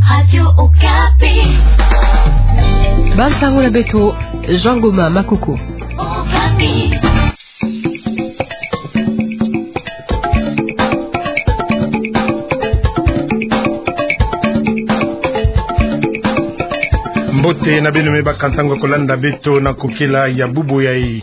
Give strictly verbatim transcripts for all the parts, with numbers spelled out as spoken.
Radio Okapi. Bansango na beto, Jean Goma Makoko. Okapi. Mbote na beno, me baka ntangu ya kolanda beto na kokela ya bubu yai.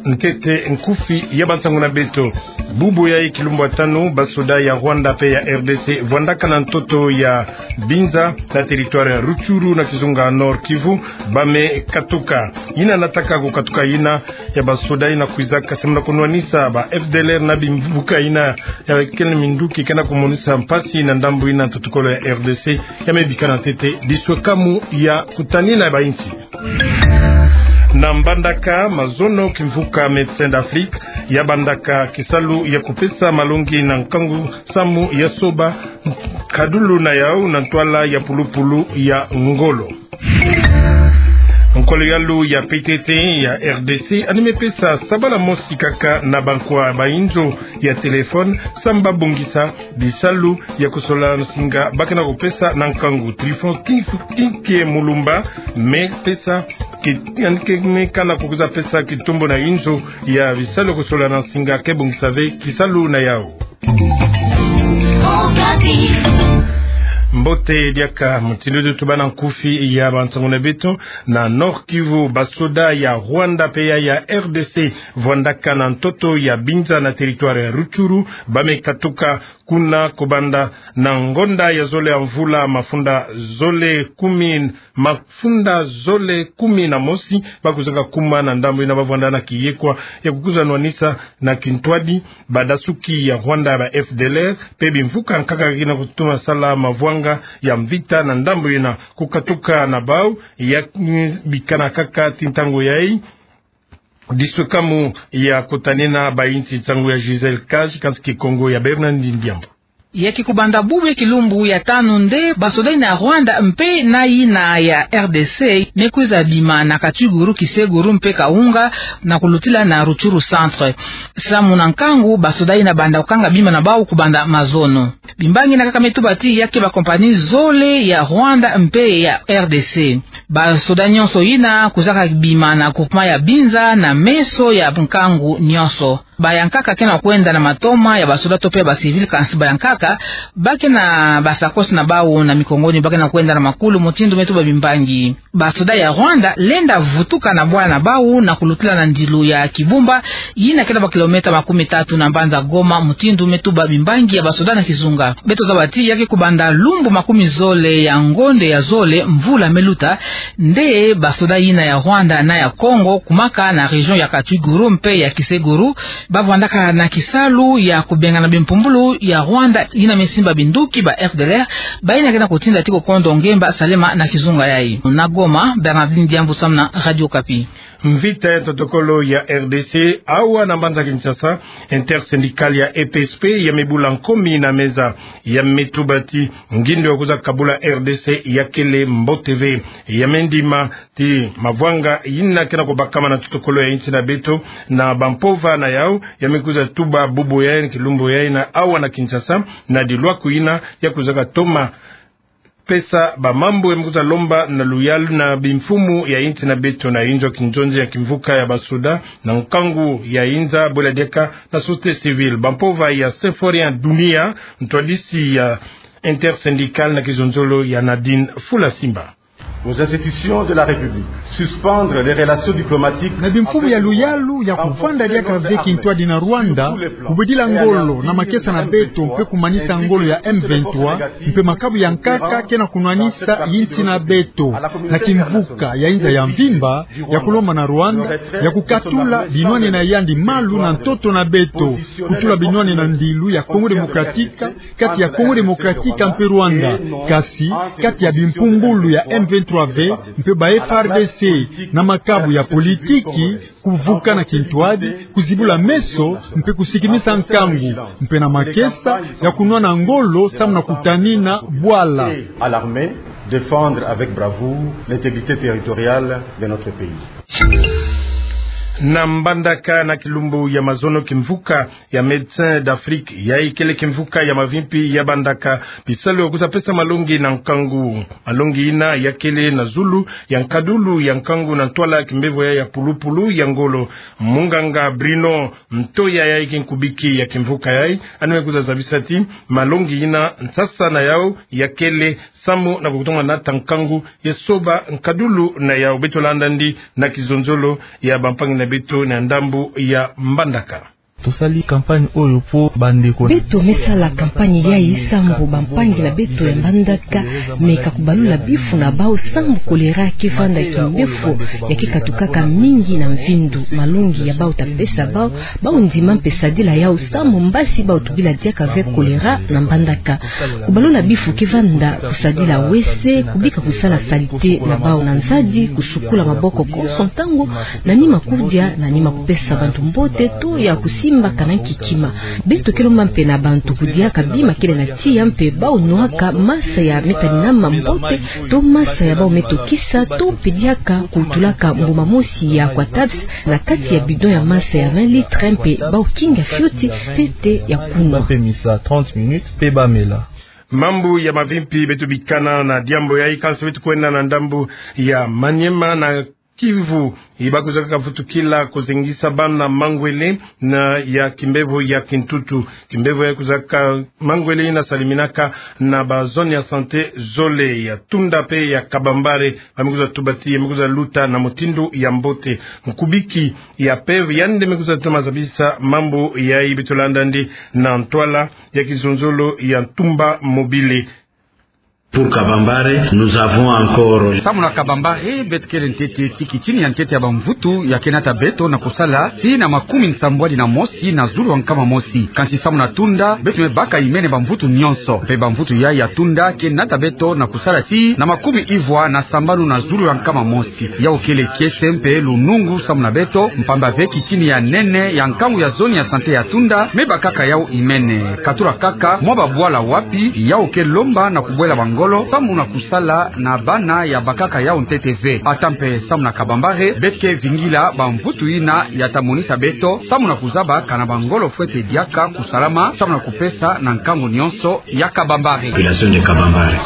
Ntete nkufi ya bansango na beto. Bubu yai kilumbu ya tanu, basoda ya Rwanda pe ya R D C vwandaka na ntoto ya Binza na territoire ya Rutshuru na kizunga Nord-Kivu, ba me katuka. Yina nataka kukatuka yina ya basoda yina kwizaka samu na kunwanisa ba F D L R na bimvuka yina ya kele minduki ke na kumonisa mpasi na ndambu yina ntotokolo ya R D C, ya me bika na ntete diswekamu ya kutanina ba insi. Na mbandaka mazono, kimvuka Médecins d'Afrique ya bandaka kisalu ya kupesa malongi na nkangu samu ya soba nkadulu na yau na ntwala ya pulupulu ya ngolo. Nkolo yalu ya P T T ya R D C yandi me pesa sabala mosi kaka na bankwa ba inzo ya téléphone samu ba bongisa bisalu ya kusola nsinga ba ke na kupesa na nkangu. Trifon Kinf-, Kinkie Mulumba me pesa ki-, yandi ke me kana kukwiza pesa kitombo na inzo ya bisalu ya kusola na nsinga ke bongisa ve kisalu na yau. Mbote diaka, mutindu tuba na nkufi ya bansango na beto. Na Nord-Kivu, basoda ya Rwanda pe ya R D C vwandaka na ntoto ya Binza na territoire ya Rutshuru, ba me katuka kuna kobanda na ngonda ya zole ya mvula mafunda zole kumi, mafunda zole kumi na mosi. Ba kwizaka kuma na ndambu yina ba vwanda na kiyekwa ya kukwiza nwanisa na kintwadi badasuki ya Rwanda ba F D L R pe bimvuka nkaka ke na kutuma sala mavwanga ya mvita na ndambu yina. Kukatuka na bau ya, mm, bikana kaka ti ntangu yai diswekamu ya kutanina ba insi. Nsangu ya Gisèle Kaj, kansi Kikongo ya Bernard Ndiambu. Ya ke kubanda bubu ya kilumbu ya tanu nde basoda yina ya Rwanda mpe na yina ya R D C me kwiza bima na Katwiguru, Kiseguru mpe Kaunga na kulutila na Rutshuru centre. Samu na nkangu, basoda yina banda kukanga bima na bau kubanda mazono. Bimbangi yina kaka me tuba ti ya ke ba compagnie zole ya Rwanda mpe ya R D C. Basoda nyonso yina kwizaka bima na groupement ya Binza na meso ya nkangu nyonso. Bayankaka ke na kwenda na matoma ya basoda to pe ba civil, kansi bayankaka ba ke na ba sacoche na bau na mikongo ni, ba ke na kwenda na makulu, mutindu me tuba bimbangi. Basoda ya Rwanda lenda vutuka na bwala na bau na kulutila na ndilu ya Kibumba, yina ke na ba kilomètre makumi tatu na mbanza Goma, mutindu me tuba bimbangi ya basoda na kizunga. Beto zaba ti ya ke kubanda lumbu makumi zole ya ngonde ya zole mvula me luta, nde basoda yina ya Rwanda na ya Kongo, kumaka na région ya Katwiguru mpe ya Kiseguru, ba vwandaka na kisalu ya kubengana bimpumbulu ya Rwanda yina me simba binduki ba F D L R, ba yina ke na kutinda ti kokondo ngemba Salema na kizunga yai. Na Goma, Bernardine Diambu samu na Radio Okapi. Mvita ya ntotokolo ya R D C awa na mbanza Kinshasa, intersyndicale ya E P S P ya me bula nkomi na meza, ya me tuba ti ngindo ya kwiza kabula R D C ya kele mbote ve. Ya me ndima ti mavwanga yina ke na kubakama na ntotokolo ya insi na beto na bampova na yau, ya me kwiza tuba bubu yai, kilumbu yai na awa na Kinshasa, na dilwaku yina ya kwizaka toma pesa bamambu ya me kwiza lomba na luyalu na bimfumu ya insi na beto na inzo kinzonzi ya kimvuka ya basoda na nkangu ya inza, bwela diaka na société civile. Bampova ya Symphorien Dunia, ntwadisi ya intersyndicale na kizonzolo ya Nadine Fula Simba. Aux institutions de la République, suspendre les relations diplomatiques. Na bimfumu ya luyalu ya kuvwanda diaka ve kintwadi na Rwanda, kubwidila ngolo na makesa na beto mpe kumanisa ngolo ya M vingt-trois, mpe makabu ya nkaka ke na kunwanisa insi na beto. Na kimvuka ya inza ya mvimba, ya kulomba na Rwanda ya kukatula binwani na yandi malu na ntoto na beto, kutula binwani na ndilu ya Congo Démocratique, kati ya Congo Démocratique mpe Rwanda, kasi kati ya bimpumbulu ya M vingt-trois ve mpe ba F A R D C, na makabu ya politiki, kuvuka na kintwadi, kuzibula meso, mpe kusikimisa nkangu, mpe na makesa ya kunwana ngolo samu na kutanina bwala. À l'armée, défendre avec bravoure l'intégrité territoriale de notre pays. Na Mbandaka, na kilumbu ya mazono, kimvuka ya Médecins d'Afrique yayi kele kimvuka ya mavimpi ya bandaka bisalu ya kwiza pesa malongi na nkangu. Malongi yina ya kele na zulu ya nkadulu ya nkangu na ntwala ya kimbevo ya, ya pulupulu ya ngolo. Munganga Bruno Ntoya, yayi ke nkubiki ya kimvuka yayi, yandi me kwiza zabisa ti malongi yina, nsasa na yau ya kele samu na kutoma nata nkangu ya soba nkadulu na yau. Beto landa yandi na kizonzolo ya bampangi na beto na ndambu ya Mbandaka. Tosali campagne oyo po bandeko na beto me sala campagne yayi samu bampangi na beto ya Mbandaka me ka kubalula bifu na bau samu choléra ke vanda kimbefo ya ke katukaka mingi na mvindu. Malongi ya bau ta pesa bau, bau ndima mpe sadila yau samu mbasi bau tubila diaka ve choléra na Mbandaka. Kubalula bifu ke vanda kusadila wese, kubika kusala salité na bau na nzadi, kusukula maboko konso ntangu, na nima kudia, na nima kupesa bantu mbote, to ya kusimbaka na nkikima. Beto ke lomba mpe na bantu kudiaka bima kele na tiya mpe bau nwaka masa ya metaninama mbote, to masa ya bau me tokisa, to mpe diaka kutulaka mbuma mosi ya Aquatabs na kati ya bidon ya masa ya vingt litres mpe bau kinga fioti ntete ya kunwa. Bapemisa trente minutes mpe bamela. Mambu ya mavimpi beto bikana na diambu yayi, kansi beto kwenda na ndambu ya Maniema, na Kivu, yi ba kwizaka vutukila kuzengisa bana mangwele na ya kimbevo ya kintutu. Kimbevo ya kwizaka mangwele yina saliminaka na ba zone ya santé zole, ya Tunda mpe ya Kabambare, ba me kwiza tuba ti ya me kwiza luta na mutindu ya mbote. Nkubiki ya P E V yandi me kwiza toma zabisa mambu yayi, beto landa yandi na ntwala ya kizonzolo ya Ntumba Mobile. Pour Kabambare, nous avons encore... Samu na Kabambare, beto kele ntete ti kitini ya ntete ya bamvutu ya ke nata beto na kusala tii na makumi nsambwadi na mosi na zulu ya nkama mosi. Kansi samu na Tunda, beto me baka imene bamvutu nyonso. Mpe bamvutu yayi ya Tunda ke nata beto na kusala tii na makumi ivwa na sambanu na zulu ya nkama mosi. Yau kele kiese mpe lunungu samu na beto, mpamba ve kitini ya nene ya nkangu ya zone ya santé ya Tunda me bakaka yau imene. Katula kaka mwa babwala wapi yau ke lomba na kubwela bangolo samu na kusala na bana ya bakaka yau ntete ve. Ata mpe samu na Kabambare, beto ke vingila bamvutu yina ya ta monisa beto samu na kuzaba kana bangolo fwete diaka kusalama samu na kupesa na nkangu nyonso ya Kabambare. Population de Kabambare.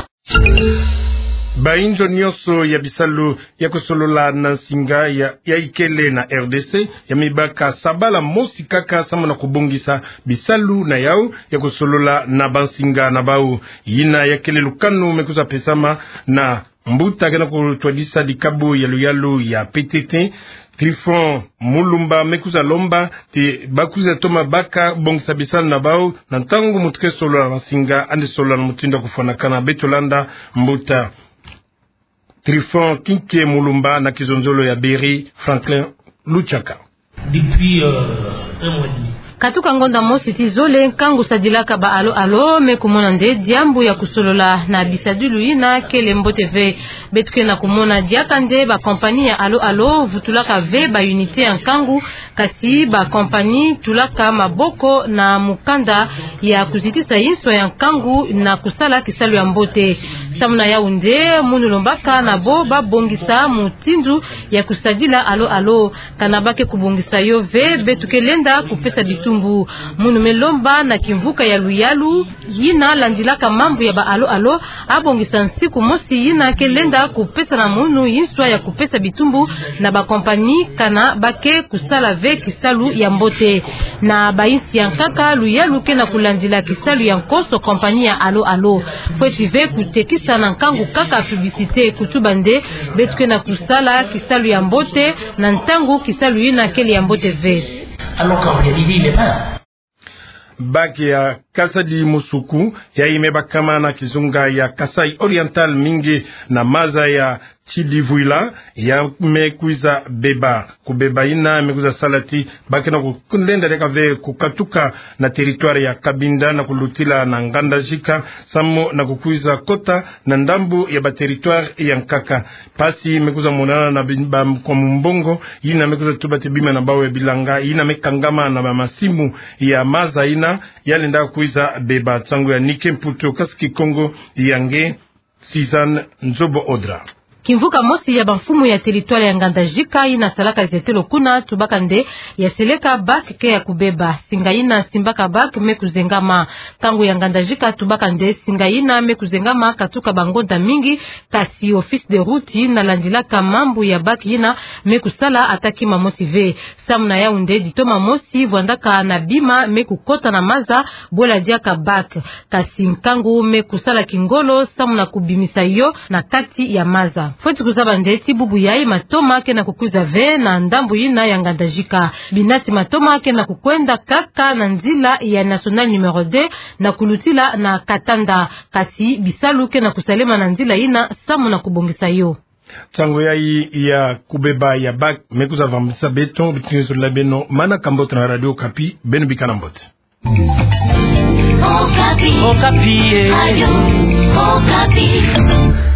Bainzo nyonso ya bisalu ya kusolola na nsinga ya, ya ikele na R D C, ya me baka sabala mosi kaka samu na kubongisa bisalu na yau ya kusolola na bansinga na bau. Yina ya kele lukanu me kwiza pesama na mbuta ke na kutwadisa dikabu ya luyalu ya P T T, Trifon Mulumba, me kwiza lomba ti ba kwiza toma baka bongisa bisalu na bau na ntangu muntu ke solola na nsinga, yandi solola na mutindu ya kufwanakana. Beto landa mbuta Trifon Kinke Mulumba na kizonzolo ya Berry, Franklin Luchaka. Depuis, euh, un mois et demi. Katuka ngonda mosi tii zole, nkangu sadilaka ba Allo Allo me kumona nde diambu ya kusolola na bisadilu yina kele mbote ve. Beto ke na kumona diaka nde ba compagnie ya Allo Allo vutulaka ve ba unité ya nkangu, kasi ba compagnie tulaka maboko na mukanda ya kuzitisa inswa ya nkangu na kusala kisalu ya mbote. Samu na yau nde munu lombaka na bo ba bongisa mutindu ya kusadila Allo Allo. Kana ba ke kubongisa yo ve, beto ke lenda kupesa bitumbu. Munu me lomba na kimvuka ya luyalu yina landilaka mambu ya ba Allo Allo, abongisa nsiku mosi yina ke lenda kupesa na munu inswa ya kupesa bitumbu na ba compagnie kana ba ke kusala ve kisalu ya mbote. Na bainsi ya nkaka, luyalu ke na kulandila kisalu ya nkoso compagnie ya Allo Allo. Fweti ve kutekisa na nkangu kaka publicité, kutuba nde beto ke na kusala kisalu ya mbote na ntangu kisalu yina kele ya mbote ve. Alors qu'en réalité, il n'est pas là. Bac ya Kasadi Musuku, yayi me bakama na kizunga ya Kasaï Oriental, mingi na maza ya Tshidivouila, ya me kwiza beba. Kubeba yina me kwiza sala ti ba ke na kulenda diaka ve kukatuka na territoire ya Cabinda na kulutila na Ngandajika, samu na kukwiza kota na ndambu ya ba territoire ya nkaka. Mpasi me kwiza monana na bi-, ba kwa mumbongo, yina me kwiza tuba ti bima na bau ya bilanga yina me kangama na ba masimu ya maza yina, ya lenda kwiza beba. Nsangu ya Nike Mputu, kasi Kikongo ya nge Suzanne Nzobo Odra. Kimvuka mosi ya bamfumu ya territoire ya Ngandajika yina salaka zetelo kuna tubaka nde ya seleka bac ke ya kubeba. Singa yina simbaka bac me kuzengama. Nkangu ya Ngandajika tubaka nde singa yina me kuzengama katuka bangonda mingi, kasi office de route yina landilaka mambu ya bac yina me kusala ata kima mosi ve. Samu na Yaoundé, ditoma mosi vwandaka na bima me kukota na maza bwela diaka bac. Kasi nkangu me kusala kingolo samu na kubimisa yo na kati ya maza. Fweti kuzaba nde ti bubu yayi matoma ke na kukwiza ve na ndambu yina ya Ngandajika. Binati matoma ke na kukwenda kaka na nzila ya nationale numéro deux na kulutila na Katanda. Kasi bisalu ke na kusalema na nzila yina samu na kubongisa yo. Nsangu yayi ya kubeba ya bac me kwiza vambisa beto, bitingi zolila beno, manaka mbote na Radio Okapi, beno bikana mbote. Okapi. Okapi, eh. Radio Okapi.